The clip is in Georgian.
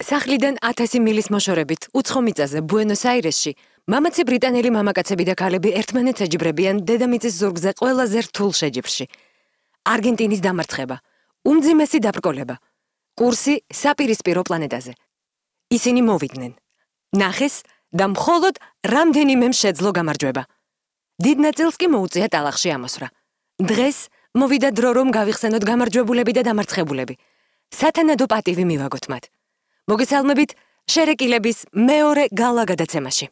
სახლიდან 1000 მილის მოშორებით უცხო მიწაზე ბუენოს-აირესში მამაცი ბრიტანელი მამაკაცები და ქალები ერთმანეთს ეჯიბრებიან დედამიწის ზურგზე ყველაზე რთულ შეჯიბრში. არგენტინის დამარცხება, უმძიმესი დაბრკოლება, კურსი საპირისპირო პლანეტაზე. ისინი მოვიდნენ. ნახეს და მხოლოდ რამდენიმე შეძლო გამარჯვება. დიდ ნაწილს კი მოუწია ტალახში ამოსვლა. დღეს მოვიდა დრო რომ გავიხსენოთ გამარჯვებულები და დამარცხებულები. სათანადო პატივი მივაგოთ მათ. მოგესალმებით შერეკილების მეორე გალა გადაცემაში.